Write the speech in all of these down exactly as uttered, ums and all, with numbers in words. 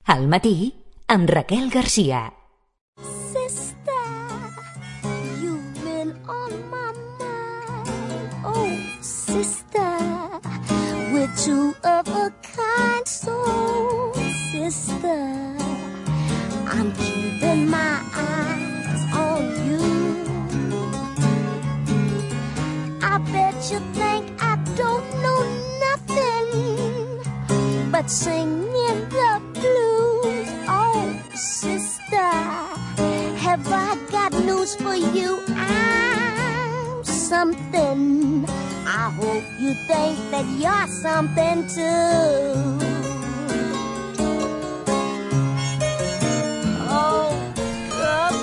Al matí, amb Raquel Garcia. Sister, you've been on my mind. Oh, sister, we're two of a kind. So, sister, I'm keeping my eyes on you. I bet you think I don't know nothing but singing the blues. Oh, sister, have I got news for you? I'm something. I hope you think that you're something too.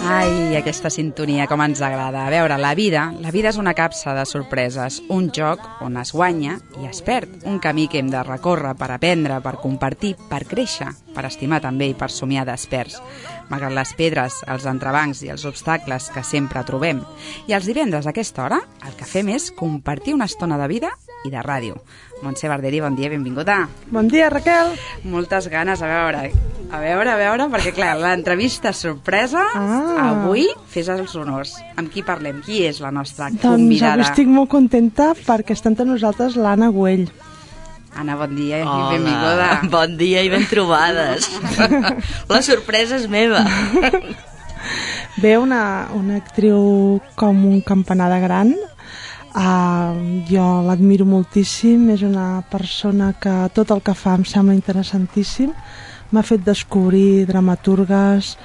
Ai, aquesta sintonia, com ens agrada. A veure, la vida, la vida és una capsa de sorpreses, un joc on es guanya i es perd, un camí que hem de recórrer per aprendre, per compartir, per créixer, per estimar també i per somiar desperts, malgrat les pedres, els entrebancs i els obstacles que sempre trobem. I els divendres a aquesta hora el que fem és compartir una estona de vida i de ràdio. Montse Barderi, bon dia, benvinguda. Bon dia, Raquel. Moltes ganes, a veure, a veure, a veure, perquè clar, l'entrevista sorpresa, ah. avui fes els honors. Amb qui parlem? Qui és la nostra doncs convidada? Doncs estic molt contenta perquè està entre nosaltres l'Anna Güell. Anna, bon dia i Hola, benvinguda. Bon dia i ben trobades. La sorpresa és meva. Ve una, una actriu com un campanar de gran. Uh, jo l'admiro moltíssim, és una persona que tot el que fa em sembla interessantíssim. M'ha fet descobrir dramaturgues,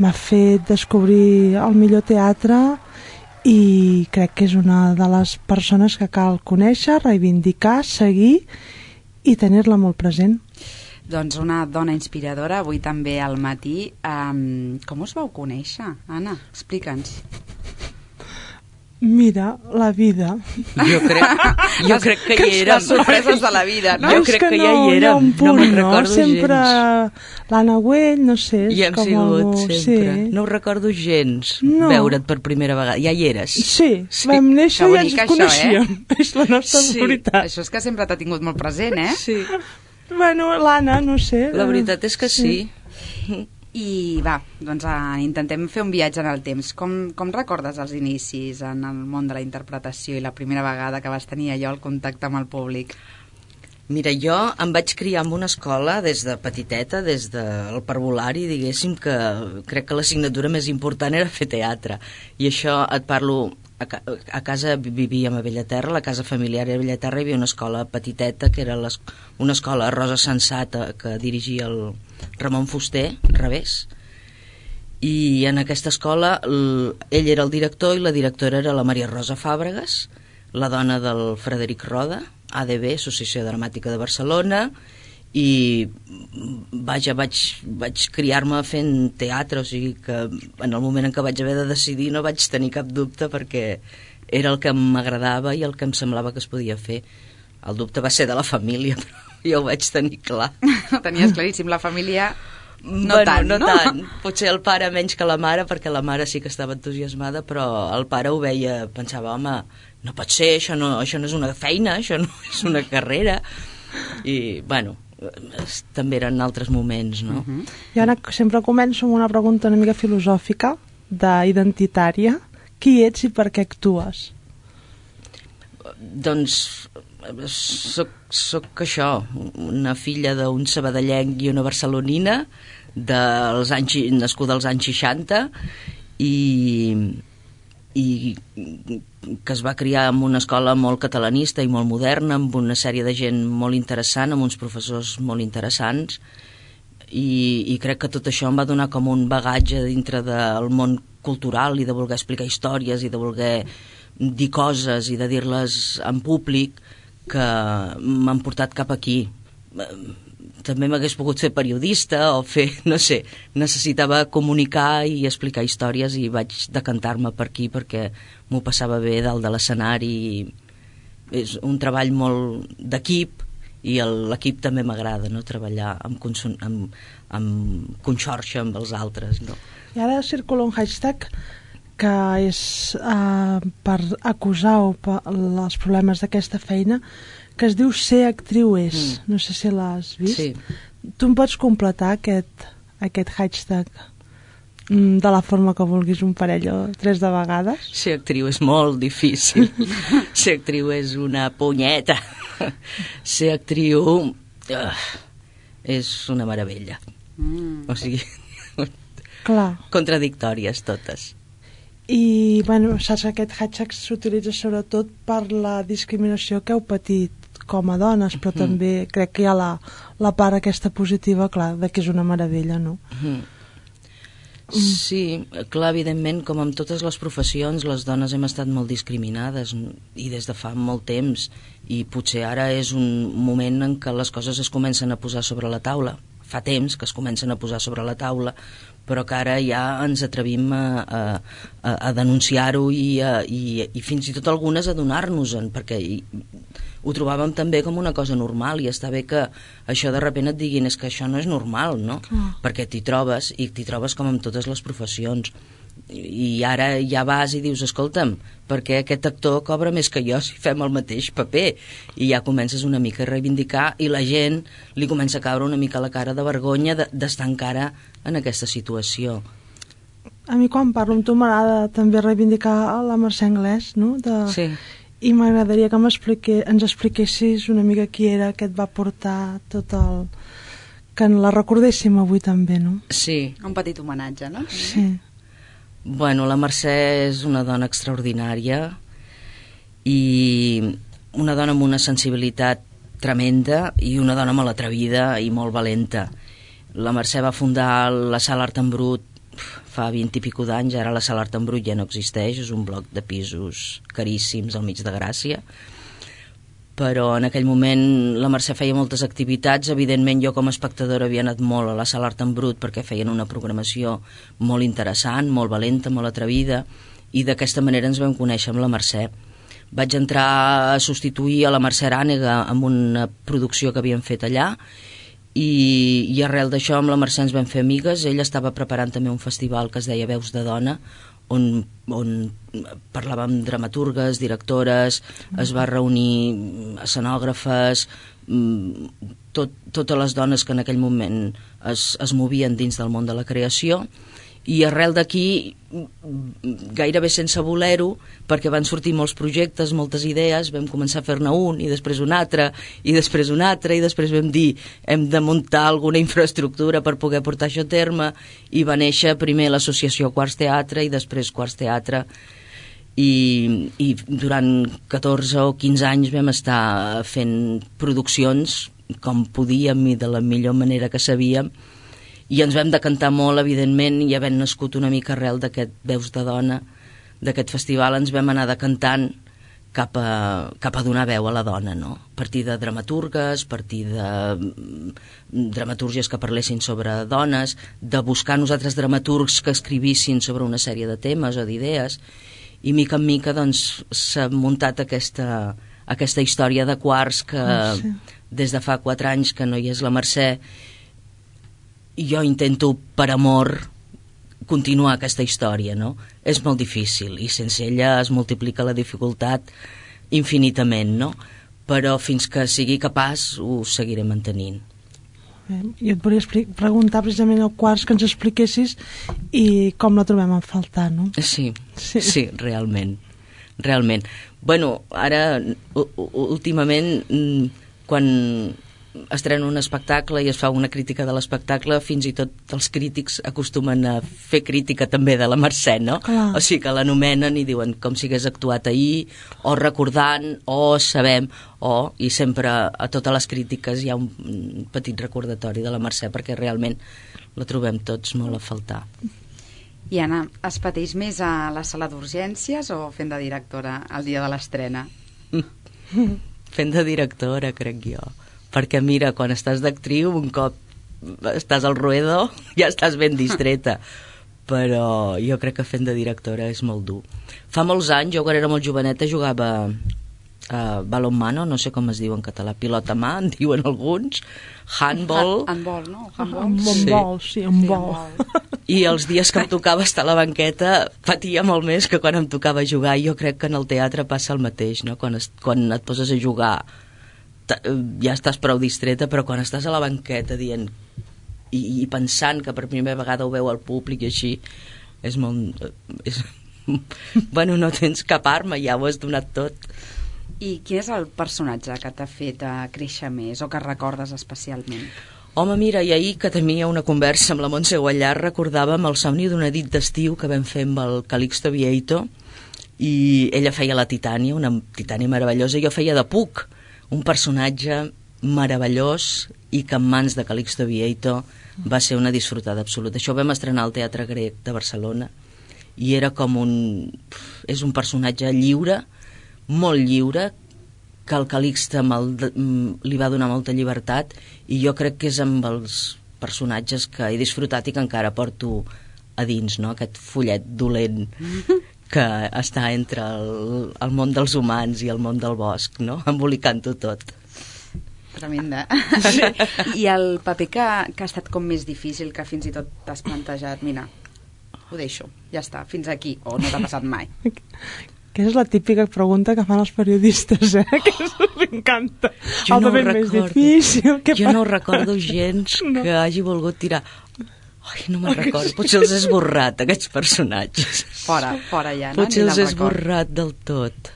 m'ha fet descobrir el millor teatre i crec que és una de les persones que cal conèixer, reivindicar, seguir i tenir-la molt present. Doncs una dona inspiradora, avui també al matí. Um, com us vau conèixer, Anna? Explica'ns. Mira, la vida. Jo crec, jo crec que hi érem. Les sorpreses de la vida, no? Jo crec que, que ja no, hi érem. Hi ha un punt, no me'n no? recordo Sempre gens. l'Anna Güell, no sé. I hem com sigut algú... sempre. Sí. No ho recordo gens, No. veure't per primera vegada. Ja hi eres. Sí, Sí. vam néixer i ens això, coneixíem. Eh? És la nostra Sí, veritat. això és que sempre t'ha tingut molt present, eh? Sí. Bueno, l'Anna, no sé. La veritat és que sí. sí. I va, doncs uh, intentem fer un viatge en el temps. Com, com recordes els inicis en el món de la interpretació i la primera vegada que vas tenir allò el contacte amb el públic? Mira, jo em vaig criar en una escola des de petiteta, des del parvulari, diguéssim, que crec que l'assignatura més important era fer teatre. I això et parlo... A, ca a casa vivíem a Bellaterra, la casa familiar era a Bellaterra, hi havia una escola petiteta, que era les, una escola Rosa Sensata, que dirigia el Ramon Fuster, revés. I en aquesta escola el, ell era el director i la directora era la Maria Rosa Fàbregas, la dona del Frederic Roda, A D B, Associació Dramàtica de Barcelona, i vaja, vaig, vaig criar-me fent teatre, o sigui que en el moment en què vaig haver de decidir no vaig tenir cap dubte perquè era el que m'agradava i el que em semblava que es podia fer. El dubte va ser de la família, però jo ho vaig tenir clar. Ho tenies claríssim, la família no bueno, tant, no, no? tant. Potser el pare menys que la mare, perquè la mare sí que estava entusiasmada, però el pare ho veia, pensava, home, no pot ser, això no, això no és una feina, això no és una carrera. I, bueno, també eren altres moments, no? Uh-huh. Jo ara sempre començo amb una pregunta una mica filosòfica, d'identitària. Qui ets i per què actues? Doncs soc, soc això, una filla d'un sabadellenc i una barcelonina, dels anys, nascuda als anys seixanta, i... i que es va criar en una escola molt catalanista i molt moderna, amb una sèrie de gent molt interessant, amb uns professors molt interessants, i, i crec que tot això em va donar com un bagatge dintre del món cultural i de voler explicar històries i de voler dir coses i de dir-les en públic que m'han portat cap aquí. També m'hagués pogut fer periodista o fer, no sé, necessitava comunicar i explicar històries i vaig decantar-me per aquí perquè m'ho passava bé dalt de l'escenari. És un treball molt d'equip i l'equip també m'agrada, no? Treballar amb, amb, amb conxorxa amb els altres, no? I ara circula un hashtag que és uh, per acusar o per els problemes d'aquesta feina, que es diu Ser actriu és. Mm. No sé si l'has vist. Sí. Tu em pots completar aquest, aquest hashtag mm, de la forma que vulguis, un parell o tres de vegades? Ser actriu és molt difícil. Ser actriu és una punyeta. Ser actriu uh, és una meravella. Mm. O sigui, clar, contradictòries totes. I bueno, saps que aquest hashtag s'utilitza sobretot per la discriminació que heu patit com a dones, però mm. també crec que hi ha la, la part aquesta positiva, clar, de que és una meravella, no? Mm. Sí, clar, evidentment, com en totes les professions, les dones hem estat molt discriminades i des de fa molt temps, i potser ara és un moment en què les coses es comencen a posar sobre la taula. Fa temps que es comencen a posar sobre la taula, però que ara ja ens atrevim a, a, a denunciar-ho i, a, i, i fins i tot algunes a donar-nos-en, perquè i, ho trobàvem també com una cosa normal, i està bé que això de sobte et diguin és que això no és normal, no? Mm. Perquè t'hi trobes, i t'hi trobes com en totes les professions, i ara ja vas i dius, escolta'm, perquè aquest actor cobra més que jo si fem el mateix paper, i ja comences una mica a reivindicar, i la gent li comença a caure una mica la cara de vergonya d'estar encara en aquesta situació. A mi quan parlo amb tu m'agrada també reivindicar la Mercè Anglès, no? De... Sí. I m'agradaria que ens expliquessis una mica qui era que et va portar tot el... que la recordéssim avui també, no? Sí. Un petit homenatge, no? Sí. Bueno, la Mercè és una dona extraordinària i una dona amb una sensibilitat tremenda i una dona molt atrevida i molt valenta. La Mercè va fundar la Sala Art en Brut fa vint i pico d'anys, ara la Sala Art en Brut ja no existeix, és un bloc de pisos caríssims al mig de Gràcia, però en aquell moment la Mercè feia moltes activitats. Evidentment jo com a espectadora havia anat molt a la Sala Art en Brut perquè feien una programació molt interessant, molt valenta, molt atrevida, i d'aquesta manera ens vam conèixer amb la Mercè. Vaig entrar a substituir a la Mercè Arànega amb una producció que havíem fet allà, i, i arrel d'això amb la Mercè ens vam fer amigues. Ella estava preparant també un festival que es deia Veus de Dona, on, on parlàvem dramaturgues, directores, es va reunir escenògrafes, tot, totes les dones que en aquell moment es, es movien dins del món de la creació, i arrel d'aquí, gairebé sense voler-ho, perquè van sortir molts projectes, moltes idees, vam començar a fer-ne un, i després un altre, i després un altre, i després vam dir hem de muntar alguna infraestructura per poder portar això a terme, i va néixer primer l'associació Quarts Teatre i després Quarts Teatre, i, i durant catorze o quinze anys vam estar fent produccions com podíem i de la millor manera que sabíem, i ens vam decantar molt, evidentment, i havent nascut una mica arrel d'aquest Veus de Dona, d'aquest festival, ens vam anar decantant cap a, cap a donar veu a la dona, no? A partir de dramaturgues, a partir de dramatúrgies que parlessin sobre dones, de buscar nosaltres dramaturgs que escrivissin sobre una sèrie de temes o d'idees, i mica en mica doncs s'ha muntat aquesta, aquesta història de Quarts que oh, sí. Des de fa quatre anys que no hi és la Mercè, jo intento per amor continuar aquesta història, no? És molt difícil i sense ella es multiplica la dificultat infinitament, no? Però fins que sigui capaç ho seguiré mantenint. Jo et volia preguntar precisament al Quarts que ens expliquessis i com la trobem a faltar, no? Sí, sí, sí, realment, realment. Bueno, ara, últimament, quan estrena un espectacle i es fa una crítica de l'espectacle, fins i tot els crítics acostumen a fer crítica també de la Mercè, no? Clar. O sigui que l'anomenen i diuen com si hagués actuat ahir, o recordant, o sabem, o, i sempre a totes les crítiques hi ha un petit recordatori de la Mercè perquè realment la trobem tots molt a faltar. I Anna, es pateix més a la sala d'urgències o fent de directora el dia de l'estrena? Fent de directora, crec jo. Perquè mira, quan estàs d'actriu, un cop estàs al ruedo, ja estàs ben distreta. Però jo crec que fent de directora és molt dur. Fa molts anys, jo quan era molt joveneta, jugava a balonmano, no sé com es diu en català, pilota mà, en diuen alguns, handball... Handball, no? Handball, sí, handball. I els dies que em tocava estar a la banqueta patia molt més que quan em tocava jugar. Jo crec que en el teatre passa el mateix, no? Quan, es, quan et poses a jugar ja estàs prou distreta, però quan estàs a la banqueta dient i, i pensant que per primera vegada ho veu el públic i així, és molt... És, bueno, no tens cap arma, ja ho has donat tot. I quin és el personatge que t'ha fet uh, créixer més o que recordes especialment? Home, mira, i ahir que tenia una conversa amb la Montse Guallar recordàvem el somni d'una nit d'estiu que vam fer amb el Calixto Vieito, i ella feia la Titània, una Titània meravellosa, i jo feia de Puck, un personatge meravellós i que en mans de Calixto Vieito va ser una disfrutada absoluta. Això ho vam estrenar al Teatre Grec de Barcelona i era com un... és un personatge lliure, molt lliure, que el Calixte li va donar molta llibertat, i jo crec que és amb els personatges que he disfrutat i que encara porto a dins, no? Aquest follet dolent que està entre el, el món dels humans i el món del bosc, no? Embolicant-ho tot. Tremenda. Sí. I el paper que, que ha estat com més difícil, que fins i tot t'has plantejat, mira, ho deixo, ja està, fins aquí, o no t'ha passat mai? Que és la típica pregunta que fan els periodistes, eh? Que m'encanta. Jo el no paper més difícil. Que jo no recordo gens no. que hagi volgut tirar... Ai, no me'n recordo. Potser els he esborrat, aquests personatges. Fora, fora ja, no? Potser els he esborrat del tot.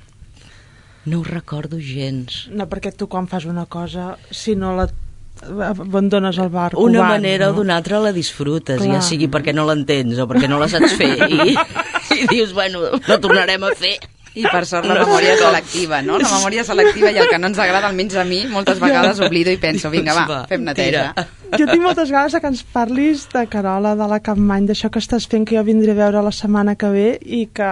No ho recordo gens. No, perquè tu quan fas una cosa, si no la abandones el barco... Una van, manera no? o d'una altra la disfrutes, Clar. ja sigui perquè no l'entens o perquè no la saps fer, i, i dius, bueno, no tornarem a fer. I per sort la memòria selectiva, no? La memòria selectiva i el que no ens agrada, almenys a mi, moltes vegades oblido i penso, vinga, va, fem neteja. Jo tinc moltes ganes que ens parlis de Carola, de la Capmany, d'això que estàs fent, que jo vindré a veure la setmana que ve, i que,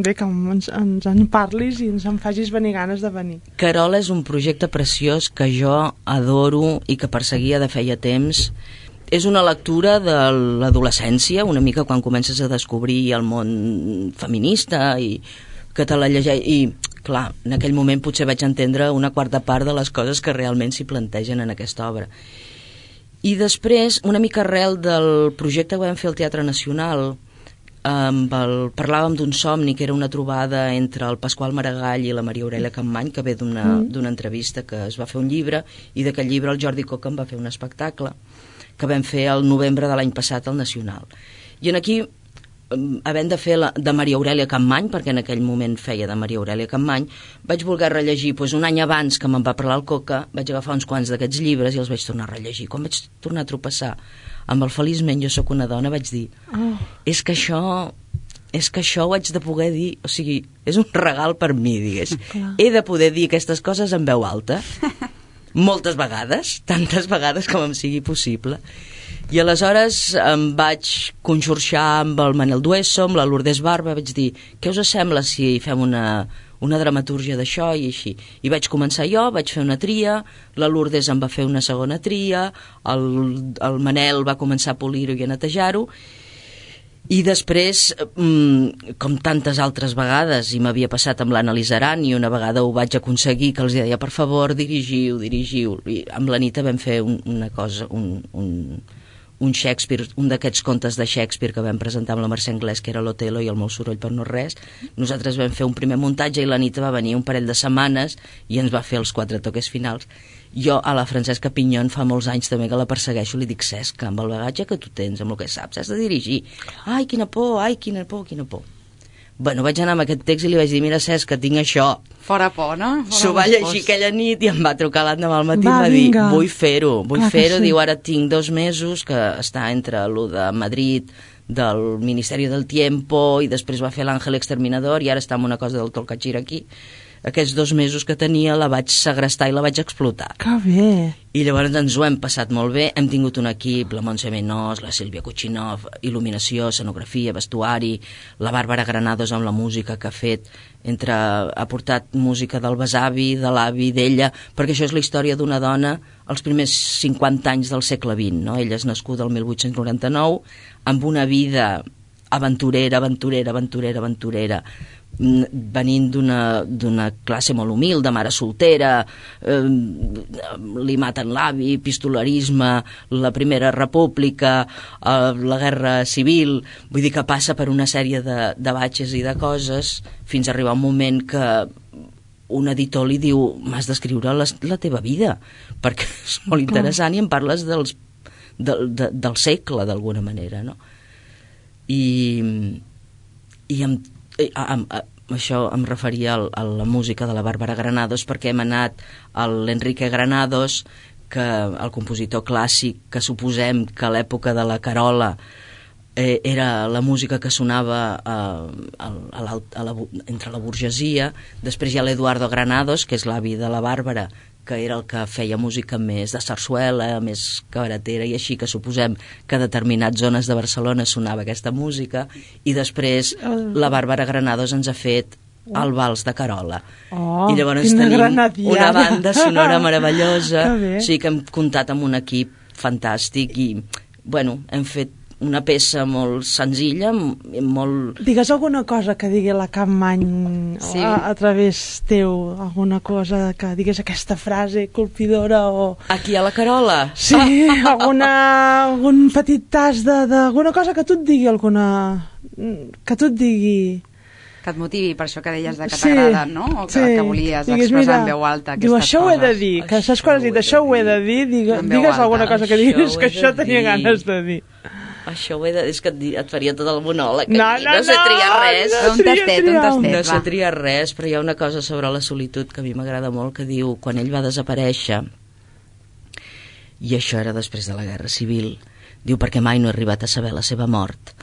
bé, que ens, ens en parlis i ens en facis venir ganes de venir. Carola és un projecte preciós que jo adoro i que perseguia de feia temps. És una lectura de l'adolescència, una mica quan comences a descobrir el món feminista i que te la llegeix, i clar, en aquell moment potser vaig entendre una quarta part de les coses que realment s'hi plantegen en aquesta obra. I després, una mica arrel del projecte que vam fer al Teatre Nacional, amb el, parlàvem d'un somni que era una trobada entre el Pasqual Maragall i la Maria Aurèlia Capmany, que ve d'una mm. d'una entrevista que es va fer un llibre, i d'aquest llibre el Jordi Coca en va fer un espectacle que vam fer el novembre de l'any passat al Nacional. I en aquí, havent de fer la, de Maria Aurèlia Capmany, perquè en aquell moment feia de Maria Aurèlia Capmany, vaig voler rellegir, doncs un any abans que me'n va parlar el Coca, vaig agafar uns quants d'aquests llibres i els vaig tornar a rellegir. Quan vaig tornar a tropeçar amb el Feliçment jo sóc una dona, vaig dir, oh. és que això és que això ho haig de poder dir, o sigui, és un regal per mi, digués. Clar. He de poder dir aquestes coses en veu alta, moltes vegades, tantes vegades com em sigui possible. I aleshores em vaig conxorxar amb el Manel Dueso, amb la Lourdes Barba, vaig dir, què us sembla si fem una, una dramatúrgia d'això i així? I vaig començar jo, vaig fer una tria, la Lourdes em va fer una segona tria, el, el Manel va començar a polir-ho i a netejar-ho, i després, com tantes altres vegades, i m'havia passat amb l'Anna Lizaran, i una vegada ho vaig aconseguir, que els deia, per favor, dirigiu, dirigiu, i amb l'Anita vam fer un, una cosa, un... un un Shakespeare, un d'aquests contes de Shakespeare que vam presentar amb la Mercè Anglès, que era l'Otelo i el meu soroll per no res. Nosaltres vam fer un primer muntatge i l'Anita va venir un parell de setmanes i ens va fer els quatre toques finals. Jo a la Francesca Pinyón fa molts anys també que la persegueixo, li dic, Cesca, amb el bagatge que tu tens, amb el que saps, has de dirigir. Ai, quina por, ai, quina por, quina por. Bueno, vaig anar amb aquest text i li vaig dir, mira, Cesc, que tinc això. Fora por, no? S'ho va llegir aquella nit i em va trucar l'endemà al matí i va dir, vull fer-ho, vull fer-ho. Sí. Diu, ara tinc dos mesos, que està entre lo de Madrid, del Ministeri del Tiempo, i després va fer l'Àngel Exterminador, i ara està amb una cosa del Tolcachir aquí. Aquests dos mesos que tenia la vaig segrestar i la vaig explotar. Que bé! I llavors ens ho hem passat molt bé, hem tingut un equip, la Montse Menós, la Sílvia Kuchinov, il·luminació, escenografia, vestuari, la Bàrbara Granados amb la música que ha fet, entre, ha portat música del besavi, de l'avi, d'ella, perquè això és la història d'una dona els primers cinquanta anys del segle vint, no? Ella és nascuda el mil vuit-cents noranta-nou, amb una vida aventurera, aventurera, aventurera, aventurera, venint d'una classe molt humil, de mare soltera, eh, li maten l'avi, pistolarisme, la Primera República, eh, la Guerra Civil, vull dir que passa per una sèrie de, de batxes i de coses fins a arribar un moment que un editor li diu m'has d'escriure la, la teva vida perquè és molt interessant i em parles dels, de, de, del segle d'alguna manera, no? I, i amb, amb, amb això em referia a, a la música de la Bàrbara Granados perquè hem anat a l'Enrique Granados, que el compositor clàssic, que suposem que a l'època de la Carola Eh, era la música que sonava eh, a, a la, a la, entre la burgesia. Després hi ha l'Eduardo Granados, que és l'avi de la Bàrbara, que era el que feia música més de sarsuela, més cabaretera i així, que suposem que a determinades zones de Barcelona sonava aquesta música, i després la Bàrbara Granados ens ha fet el Vals de Carola. Oh, i llavors tenim una banda sonora meravellosa, o sigui que hem comptat amb un equip fantàstic i, bueno, hem fet una peça molt senzilla, molt... Digues alguna cosa que digui la Capmany sí. a, a través teu, alguna cosa que digues aquesta frase colpidora o... Aquí a la Carola? Sí, alguna, algun petit tas d'alguna cosa que tu et digui, alguna... que tu et digui... Que et motivi, per això que deies de que sí, t'agrada, no? O que, sí. que volies digues, expressar mira, en veu alta aquestes diu, coses. això ho he de dir, que saps quan has dit això ho he de dir, digues, digues alguna cosa que diguis que això tenia ganes de dir. Això ho he de dir, és que et faria tot el monòleg. No, no, no, no sé triar res. No, un tastet, un tastet. No sé triar res, però hi ha una cosa sobre la solitud que a mi m'agrada molt, que diu, quan ell va desaparèixer, i això era després de la Guerra Civil, diu, perquè mai no he arribat a saber la seva mort.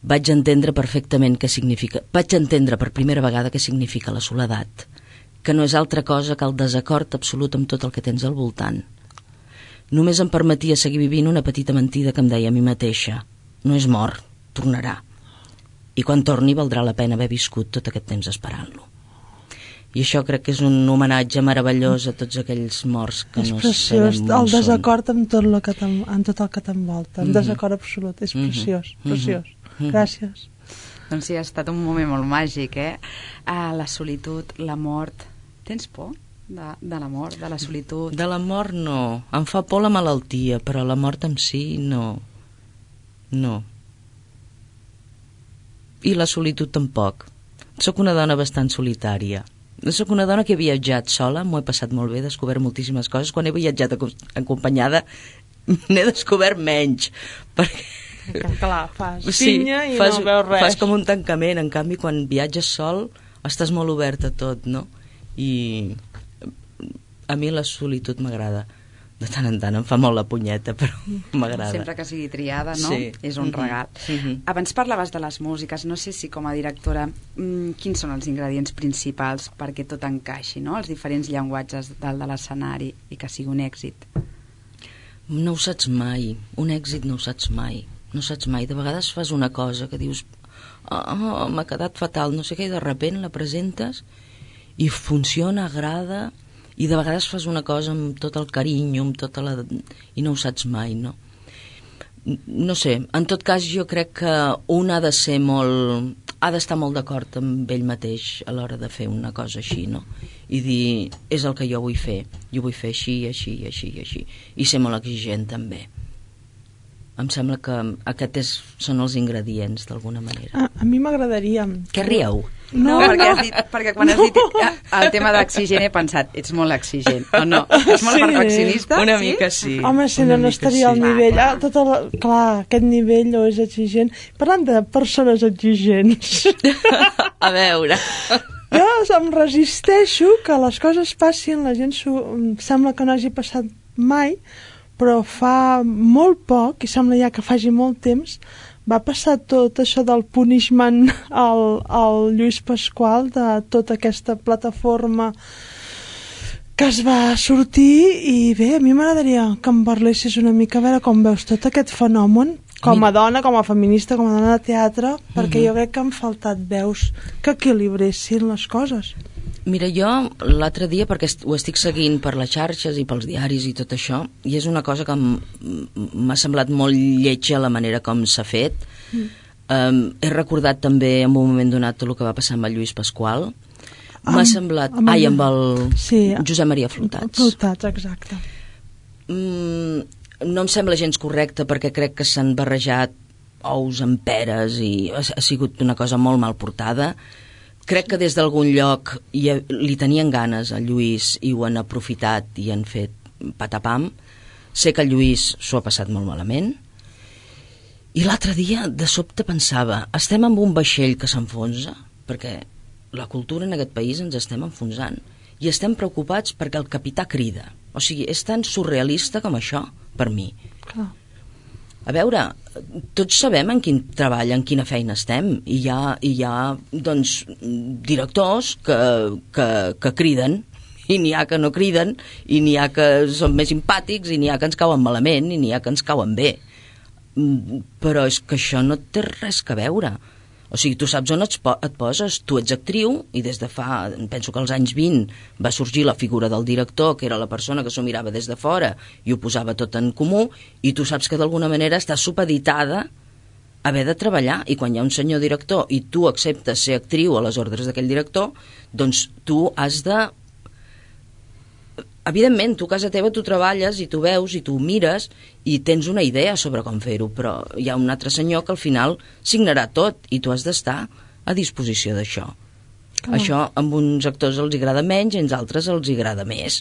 Vaig entendre perfectament què significa... Vaig entendre per primera vegada què significa la soledat, que no és altra cosa que el desacord absolut amb tot el que tens al voltant. Només em permetia seguir vivint una petita mentida que em deia a mi mateixa. No és mort, tornarà. I quan torni valdrà la pena haver viscut tot aquest temps esperant-lo. I això crec que és un homenatge meravellós a tots aquells morts que és no preciós, sabem on el desacord són. amb tot, lo que amb tot el que t'envolta, el mm -hmm. desacord absolut, és preciós, mm -hmm. preciós. Mm -hmm. Gràcies. Doncs sí, ha estat un moment molt màgic, eh? Ah, la solitud, la mort. Tens por de, de la mort, de la solitud? De la mort no. Em fa por la malaltia, però la mort en si no. No. I la solitud tampoc. Soc una dona bastant solitària. Soc una dona que he viatjat sola, m'ho he passat molt bé, he descobert moltíssimes coses. Quan he viatjat acompanyada n'he descobert menys, perquè... Clar, fas sí, pinya i fas, no veus res. Fas com un tancament. En canvi, quan viatges sol estàs molt obert a tot, no? I a mi la solitud m'agrada. De tant en tant em fa molt la punyeta, però m'agrada. Sempre que sigui triada, no? Sí. És un regal. Mm-hmm. Abans parlaves de les músiques, no sé si com a directora mmm, quins són els ingredients principals perquè tot encaixi, no? Els diferents llenguatges dalt de l'escenari i que sigui un èxit. No ho saps mai. Un èxit no ho saps mai. No saps mai. De vegades fas una cosa que dius oh, oh, m'ha quedat fatal, no sé què, i de sobte la presentes i funciona, agrada, i de vegades fas una cosa amb tot el carinyo, amb tota la... i no ho saps mai, no? No sé, en tot cas jo crec que un ha de ser molt... ha d'estar molt d'acord amb ell mateix a l'hora de fer una cosa així, no? I dir, és el que jo vull fer, jo vull fer així, així, així, així, i ser molt exigent també. Em sembla que aquests és, són els ingredients, d'alguna manera. A, a mi m'agradaria... Què rieu? No, no, perquè, no. Has dit, perquè quan no. has dit el tema d'exigent he pensat, ets molt exigent, o no? Ets molt sí. perfeccionista? Una sí? mica sí. Home, si no, no estaria sí. al nivell. Ah, tot el, clar, aquest nivell no és exigent. Parlant de persones exigents... A veure... Jo em resisteixo que les coses passin, la gent sembla que no hagi passat mai, però fa molt poc, i sembla ja que faci molt temps, va passar tot això del punishment al, al Lluís Pasqual, de tota aquesta plataforma que es va sortir, i bé, a mi m'agradaria que em parlessis una mica, a veure com veus tot aquest fenomen, com a dona, com a feminista, com a dona de teatre, perquè jo crec que han faltat veus que equilibressin les coses. Mira, jo l'altre dia, perquè ho estic seguint per les xarxes i pels diaris i tot això, i és una cosa que m'ha semblat molt lletja la manera com s'ha fet. Mm. Um, he recordat també en un moment donat tot el que va passar amb el Lluís Pasqual. M'ha semblat... Amb ai, amb el sí, Josep Maria Flotats. Flotats, exacte. Mm, no em sembla gens correcte perquè crec que s'han barrejat ous amb peres i ha, ha sigut una cosa molt mal portada. crec que des d'algun lloc hi, li tenien ganes a Lluís i ho han aprofitat i han fet patapam. Sé que el Lluís s'ho ha passat molt malament. I l'altre dia, de sobte, pensava, estem amb un vaixell que s'enfonsa, perquè la cultura en aquest país ens estem enfonsant, i estem preocupats perquè el capità crida. O sigui, és tan surrealista com això, per mi. Clar. A veure, tots sabem en quin treball, en quina feina estem, i hi ha, hi ha doncs, directors que, que, que criden, i n'hi ha que no criden, i n'hi ha que són més simpàtics, i n'hi ha que ens cauen malament, i n'hi ha que ens cauen bé. Però és que això no té res que veure. O sigui, tu saps on et, po et poses, tu ets actriu, i des de fa, penso que als anys vint va sorgir la figura del director, que era la persona que s'ho mirava des de fora i ho posava tot en comú, i tu saps que d'alguna manera estàs supeditada a haver de treballar, i quan hi ha un senyor director i tu acceptes ser actriu a les ordres d'aquell director, doncs tu has de... Evidentment, tu a casa teva tu treballes i tu veus i tu mires i tens una idea sobre com fer-ho, però hi ha un altre senyor que al final signarà tot i tu has d'estar a disposició d'això. Oh. Això amb uns actors els agrada menys i als altres els agrada més,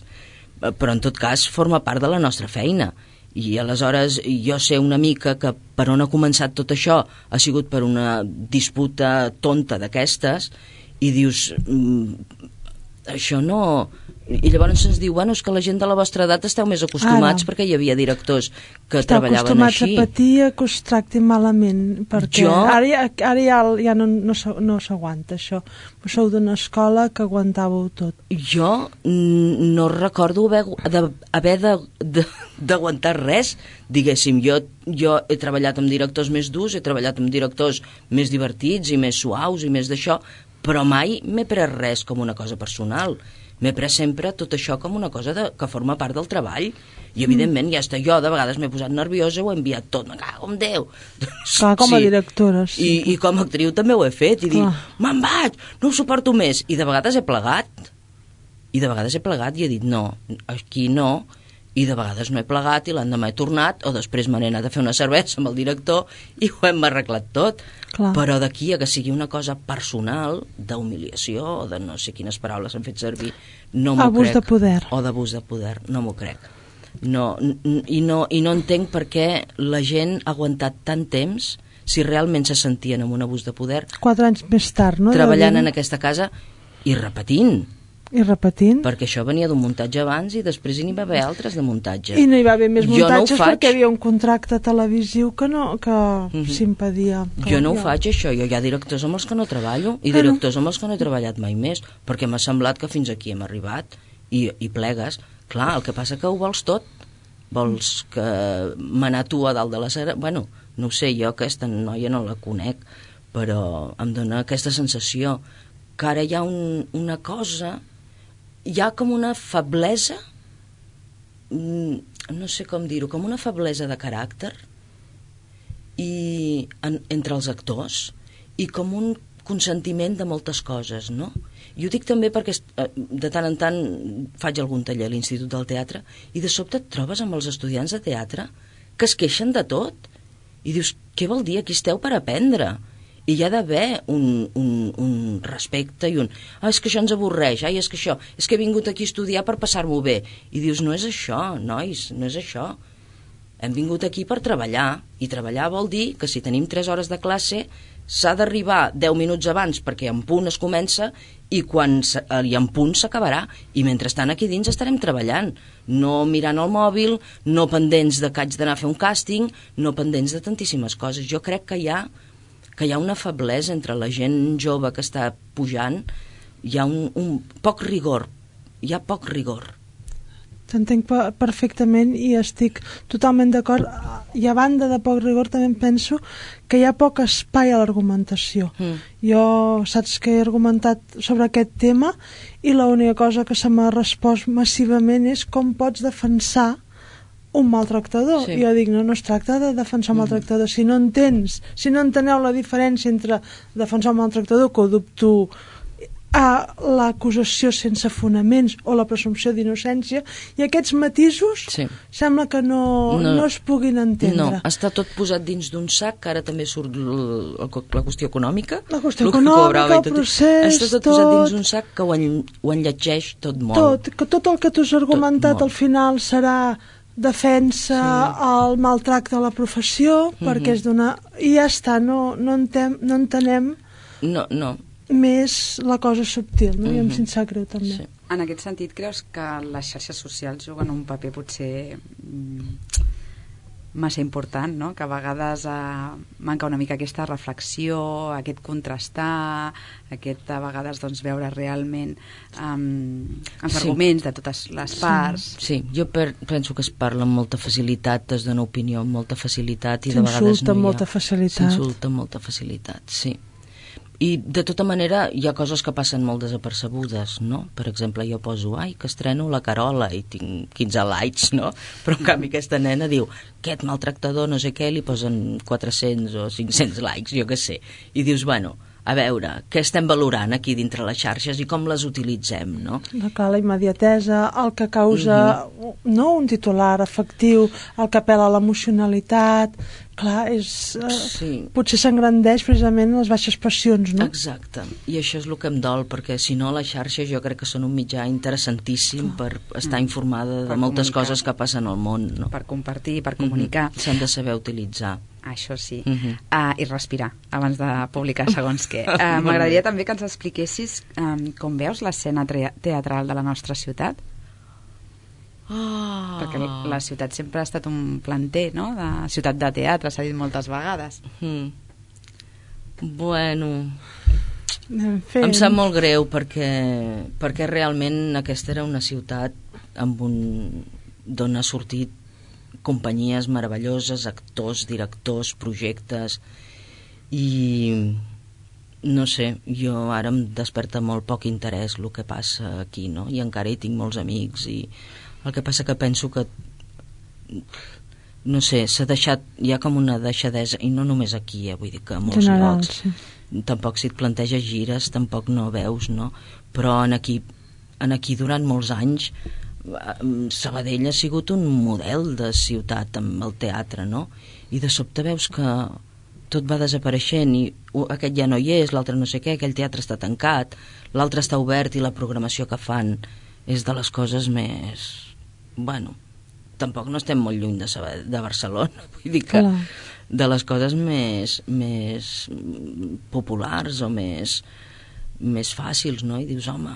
però en tot cas forma part de la nostra feina. I aleshores jo sé una mica que per on ha començat tot això ha sigut per una disputa tonta d'aquestes i dius... Mm, això no... I llavors ens diu, bueno, és que la gent de la vostra edat esteu més acostumats Ara. perquè hi havia directors que Esteu treballaven així. Esteu acostumats a patir que us tractin malament, perquè jo... ara, ara ja, ja no, no, no s'aguanta això. Vos sou d'una escola que aguantàveu tot. Jo no recordo haver, de, haver de, de, d'aguantar res, diguéssim. Jo, jo he treballat amb directors més durs, he treballat amb directors més divertits i més suaus i més d'això, però mai m'he pres res com una cosa personal. M'he pres sempre tot això com una cosa de, que forma part del treball. I evidentment ja està, jo de vegades m'he posat nerviosa, ho he enviat tot, me cago en Déu. Clar, com a sí. directora sí. I, i com a actriu també ho he fet i dic, me'n vaig, no ho suporto més. I de vegades he plegat i de vegades he plegat i he dit no, aquí no, i de vegades no he plegat i l'endemà he tornat o després me n'he anat a fer una cervesa amb el director i ho hem arreglat tot. Clar. Però d'aquí a que sigui una cosa personal d'humiliació o de no sé quines paraules s'han fet servir, no m'ho crec. Abús de poder. O d'abús de poder, no m'ho crec. No, i, no, I no entenc per què la gent ha aguantat tant temps si realment se sentien amb un abús de poder. Quatre anys més tard, no? Treballant en aquesta casa i repetint. I repetint. Perquè això venia d'un muntatge abans i després hi va haver altres de muntatge. I no hi va haver més muntatges no perquè hi havia un contracte televisiu que, no, que mm-hmm. s'impedia. Jo no ho faig, això. Jo hi ha directors amb els que no treballo i directors amb els que no he treballat mai més, perquè m'ha semblat que fins aquí hem arribat i, i plegues. Clar, el que passa que ho vols tot. Vols que manar tu a dalt de la cera... Bueno, no ho sé, jo aquesta noia no la conec, però em dona aquesta sensació que ara hi ha un, una cosa... Hi ha com una feblesa, no sé com dir-ho, com una feblesa de caràcter i en, entre els actors i com un consentiment de moltes coses, no? I ho dic també perquè de tant en tant faig algun taller a l'Institut del Teatre i de sobte et trobes amb els estudiants de teatre que es queixen de tot i dius, què vol dir? Aquí esteu per aprendre. I hi ha d'haver un, un, un respecte i un... Ah, és que això ens avorreix, ai, és que això... És que he vingut aquí a estudiar per passar-m'ho bé. I dius, no és això, nois, no és això. Hem vingut aquí per treballar, i treballar vol dir que si tenim tres hores de classe s'ha d'arribar deu minuts abans perquè en punt es comença i quan i en punt s'acabarà. I mentrestant aquí dins estarem treballant, no mirant el mòbil, no pendents de que haig d'anar a fer un càsting, no pendents de tantíssimes coses. Jo crec que hi ha que hi ha una feblesa entre la gent jove que està pujant, hi ha un, un poc rigor, hi ha poc rigor. T'entenc perfectament i estic totalment d'acord, i a banda de poc rigor també penso que hi ha poc espai a l'argumentació. Mm. Jo saps que he argumentat sobre aquest tema i l'única cosa que se m'ha respost massivament és com pots defensar un maltractador. Sí. Jo dic, no, no es tracta de defensar un maltractador. Si no entens, si no enteneu la diferència entre defensar un maltractador, que ho dubto a l'acusació sense fonaments o la presumpció d'innocència, i aquests matisos sí. sembla que no, no, no es puguin entendre. No, està tot posat dins d'un sac, que ara també surt l, la qüestió econòmica. La qüestió econòmica, el procés, està tot, tot posat dins d'un sac que ho, en, ho enlletgeix tot molt. Tot, que tot el que tu has argumentat al final serà defensa sí. el maltracte a la professió, mm-hmm. perquè és d'una... I ja està, no, no, entem, no entenem... No, no. més la cosa subtil, no? Mm-hmm. I em sent sap greu també. Sí. En aquest sentit, creus que les xarxes socials juguen un paper potser mm, massa important, no? Que a vegades eh, manca una mica aquesta reflexió, aquest contrastar, aquest a vegades doncs, veure realment um, els sí. arguments de totes les parts. Sí, sí. Jo per, penso que es parla amb molta facilitat, es dona opinió amb molta facilitat i de vegades no hi ha... amb molta facilitat. S'insulta amb molta facilitat, sí. I de tota manera hi ha coses que passen molt desapercebudes, no? Per exemple, jo poso, ai, que estreno la Carola i tinc quinze likes, no? Però en canvi aquesta nena diu, aquest maltractador no sé què, li posen quatre-cents o cinc-cents likes, jo què sé. I dius, bueno, a veure, què estem valorant aquí dintre les xarxes i com les utilitzem, no? Clar, la immediatesa, el que causa mm-hmm. no un titular efectiu, el que apela a l'emocionalitat, clar, és, eh, sí. potser s'engrandeix precisament les baixes passions, no? Exacte, i això és el que em dol, perquè si no les xarxes jo crec que són un mitjà interessantíssim clar. Per estar informada de per moltes comunicar. Coses que passen al món, no? Per compartir, per comunicar. Mm-hmm. S'han de saber utilitzar. Això sí, uh-huh. uh, i respirar abans de publicar segons què. Uh, M'agradaria també que ens expliquessis um, com veus l'escena teatral de la nostra ciutat. Oh. Perquè la ciutat sempre ha estat un planter, no? De ciutat de teatre, s'ha dit moltes vegades. Mm. Bueno, em sap molt greu perquè, perquè realment aquesta era una ciutat amb un, d'on ha sortit companyies meravelloses, actors, directors, projectes, i no sé, jo ara em desperta molt poc interès el que passa aquí, no? I encara hi tinc molts amics, i el que passa que penso que no sé, s'ha deixat, hi ha com una deixadesa, i no només aquí, eh, vull dir que a molts general, llocs sí. Tampoc si et planteges gires tampoc no veus, no? Però en aquí, en aquí durant molts anys Sabadell ha sigut un model de ciutat amb el teatre, no? I de sobte veus que tot va desapareixent i aquest ja no hi és, l'altre no sé què, aquell teatre està tancat, l'altre està obert i la programació que fan és de les coses més... Bueno, tampoc no estem molt lluny de, Sabadell, de Barcelona, vull dir que Clar. De les coses més, més populars o més, més fàcils, no? I dius, home,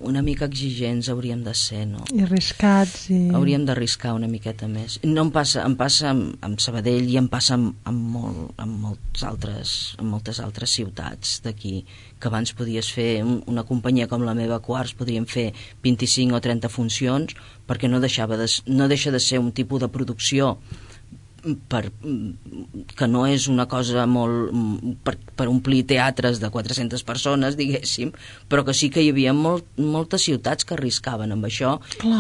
una mica exigents hauríem de ser, no? I arriscats. I... Hauríem d'arriscar una miqueta més. No em passa, em passa amb, amb Sabadell i em passa amb, amb, molt, amb, molts altres, amb moltes altres ciutats d'aquí, que abans podies fer un, una companyia com la meva Quarts, podríem fer vint-i-cinc o trenta funcions, perquè no, deixava de, no deixa de ser un tipus de producció per, que no és una cosa molt per, per omplir teatres de quatre-centes persones, diguéssim, però que sí que hi havia molt, moltes ciutats que arriscaven amb això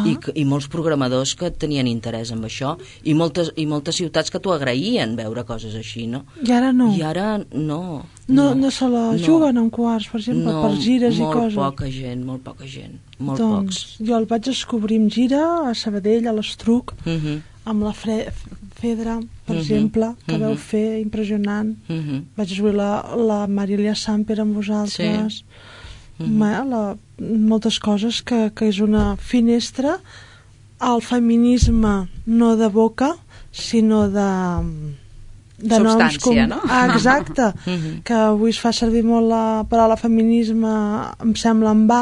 i, i molts programadors que tenien interès en això i moltes, i moltes ciutats que t'ho agraïen veure coses així, no? I ara no. I ara no. No, no, no se la juguen no. en Quarts, per exemple, no, per gires i coses. Molt poca gent, molt poca gent. Molt doncs pocs. Jo el vaig descobrir en gira a Sabadell, a l'Estruc, uh-huh. amb la Fre Fedra, per uh-huh. exemple, que uh-huh. veu fer impressionant. Uh-huh. Vaig descobrir la, la Marilia Samper amb vosaltres. Sí. Uh-huh. Ma, la, moltes coses que, que és una finestra al feminisme no de boca, sinó de... de substància, com... no? Ah, exacte, uh-huh. que avui es fa servir molt la paraula feminisme, em sembla en va,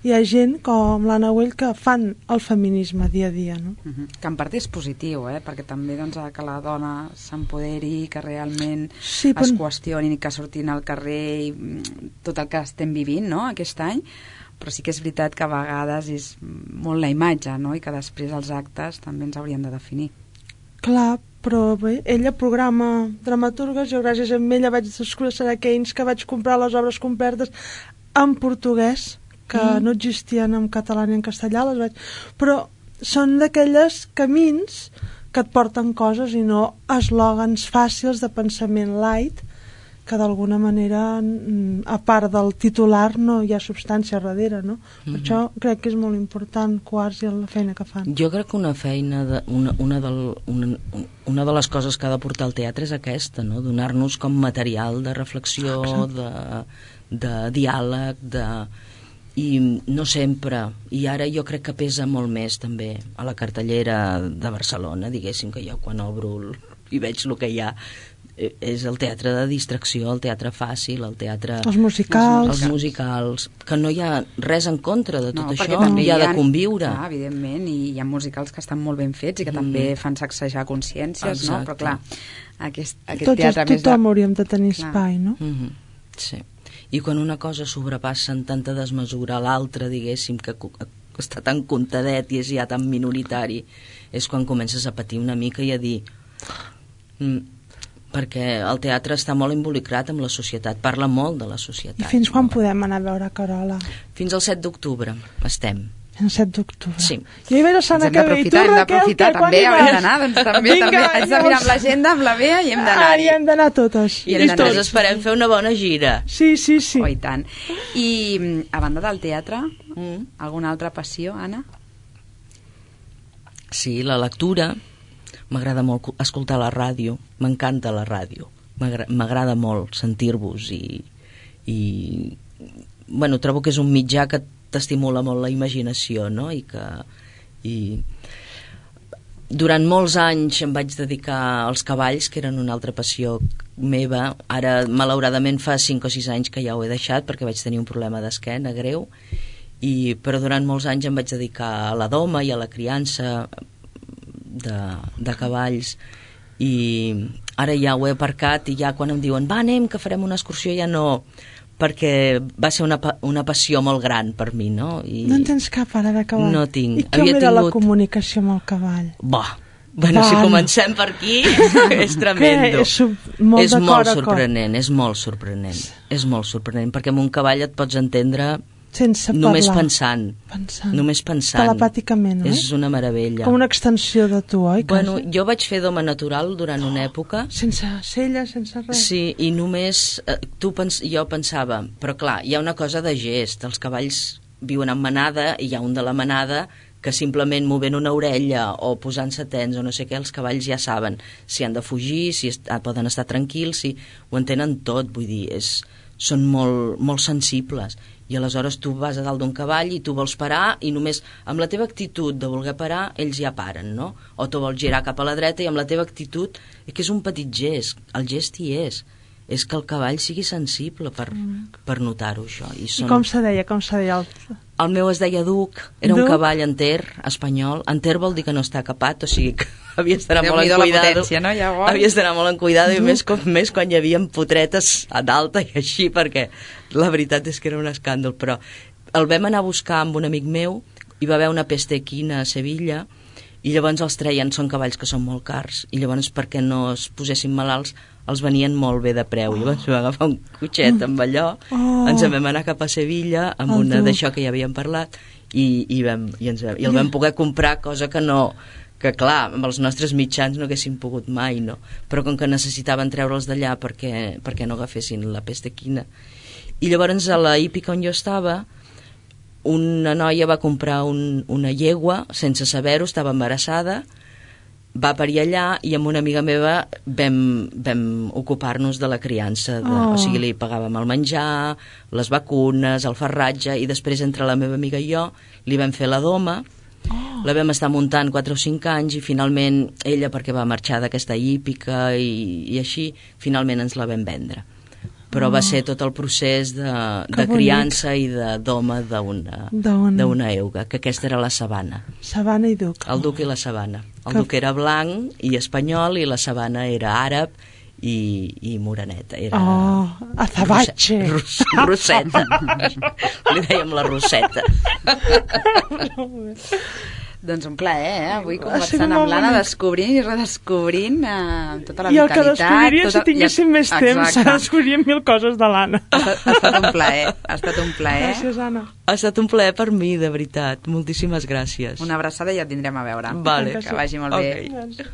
hi ha gent com l'Anna Güell que fan el feminisme dia a dia, no? Uh-huh. Que en part és positiu, eh? Perquè també doncs, que la dona s'empoderi, que realment sí, però... es qüestionin i que surtin al carrer i tot el que estem vivint, no?, aquest any, però sí que és veritat que a vegades és molt la imatge, no?, i que després els actes també ens haurien de definir. Clar, però bé, ella programa dramaturgues, jo gràcies a ella vaig descobrir Sarah Keynes, que vaig comprar les obres completes en portuguès, que mm. no existien en català ni en castellà, les vaig... però són d'aquelles camins que et porten coses i no eslògans fàcils de pensament light que d'alguna manera, a part del titular, no hi ha substància darrere, no? Per mm-hmm. això crec que és molt important Quartz i la feina que fan. Jo crec que una feina, de, una, una, del, una, una de les coses que ha de portar el teatre és aquesta, no? Donar-nos com material de reflexió, de, de diàleg, de... i no sempre, i ara jo crec que pesa molt més també a la cartellera de Barcelona, diguéssim, que jo quan obro el, i veig el que hi ha, és el teatre de distracció, el teatre fàcil, el teatre... Els musicals. Els musicals, que no hi ha res en contra de tot no, això, també hi ha de conviure. Clar, evidentment, i hi ha musicals que estan molt ben fets i que mm. també fan sacsejar consciències, exacte. No? Però clar, aquest, aquest Tots teatre... Tots tothom de... hauríem de tenir clar. Espai, no? Mm -hmm. Sí. I quan una cosa sobrepassa en tanta desmesura a l'altra, diguéssim, que està tan contadet i és ja tan minoritari, és quan comences a patir una mica i a dir... Mm, perquè el teatre està molt involucrat amb la societat, parla molt de la societat. I fins quan podem anar a veure Carola? Fins al set d'octubre estem. El set d'octubre. Sí. Jo hi ve la setmana que ve. Hem d'aprofitar, també, haurem d'anar, doncs també, Vinga, també. Haig de mirar amb l'agenda, amb la Bea, i hem d'anar-hi. Ah, i hem d'anar totes. I després esperem fer una bona gira. Sí, sí, sí. Oh, i tant. I a banda del teatre, mm. alguna altra passió, Anna? Sí, la lectura. M'agrada molt escoltar la ràdio, m'encanta la ràdio, m'agrada molt sentir-vos i, i bueno, trobo que és un mitjà que t'estimula molt la imaginació, no? I que i durant molts anys em vaig dedicar als cavalls, que eren una altra passió meva. Ara, malauradament, fa cinc o sis anys que ja ho he deixat perquè vaig tenir un problema d'esquena greu, i, però durant molts anys em vaig dedicar a la doma i a la criança De, de cavalls, i ara ja ho he aparcat, i ja quan em diuen va, anem, que farem una excursió, ja no, perquè va ser una, una passió molt gran per mi, no? I no en tens cap ara de cavall? No tinc. I com Havia era tingut... la comunicació amb el cavall? Bah, bueno, Va, si comencem per aquí és tremendo. És, molt, és molt sorprenent, és molt sorprenent, és molt sorprenent, perquè amb un cavall et pots entendre sense només parlar. pensant, pensant. Només pensant. Telepàticament, oi? És una meravella. Com una extensió de tu, oi? Bueno, jo vaig fer doma natural durant una època. Sense cella, sense res. Sí, i només eh, tu pens jo pensava, però clar, hi ha una cosa de gest. Els cavalls viuen en manada i hi ha un de la manada que simplement movent una orella o posant-se tens o no sé què, els cavalls ja saben si han de fugir, si est poden estar tranquils, si ho entenen tot, vull dir, és, són molt, molt sensibles. I aleshores tu vas a dalt d'un cavall i tu vols parar i només amb la teva actitud de voler parar ells ja paren, no? O tu vols girar cap a la dreta i amb la teva actitud, és que és un petit gest, el gest hi és, és que el cavall sigui sensible per, mm. per notar-ho això. I, són... I com se deia, com se deia? El, el meu es deia Duc, era Duc? un cavall enter, espanyol. Enter vol dir que no està capat, o sigui que havies d'anar molt en cuidado. Potència, no? Havies d'anar molt en cuidado, i més, com, més quan hi havia potretes a d'alta i així, perquè la veritat és que era un escàndol. Però el vam anar a buscar amb un amic meu, hi va haver una peste equina a Sevilla, i llavors els treien, són cavalls que són molt cars, i llavors perquè no es posessin malalts els venien molt bé de preu. Oh. Llavors vam agafar un cotxet amb allò, oh. ens en vam anar cap a Sevilla amb oh, una d'això que ja havíem parlat, i, i, vam, i, ens, i el vam poder comprar, cosa que no, que clar, amb els nostres mitjans no haguéssim pogut mai, no? Però com que necessitaven treure'ls d'allà perquè, perquè no agafessin la pesta equina. I llavors a la hípica on jo estava, una noia va comprar un, una llegua sense saber-ho, estava embarassada, va parir allà, i amb una amiga meva vam, vam ocupar-nos de la criança, de, oh. o sigui, li pagàvem el menjar, les vacunes, el farratge, i després entre la meva amiga i jo li vam fer la doma. Oh. La vam estar muntant quatre o cinc anys, i finalment ella, perquè va marxar d'aquesta hípica i, i així, finalment ens la vam vendre. Però oh. va ser tot el procés de, de criança i de doma d'una euga, que aquesta era la sabana. Sabana i duc. El duc i la sabana. El que... duc era blanc i espanyol, i la sabana era àrab i, i moreneta. Era oh, azabache. Ros, roseta. Li dèiem la roseta. Doncs un plaer, eh? Avui conversant amb l'Anna, descobrint i redescobrint eh, tota la vitalitat. I el que descobriria, tota... si tinguéssim més temps, descobriríem mil coses de l'Anna. Ha, ha estat un plaer, ha estat un plaer. Gràcies, Anna. Ha estat un plaer per mi, de veritat. Moltíssimes gràcies. Una abraçada i ja et vindrem a veure. Vale. Que vagi molt okay. bé.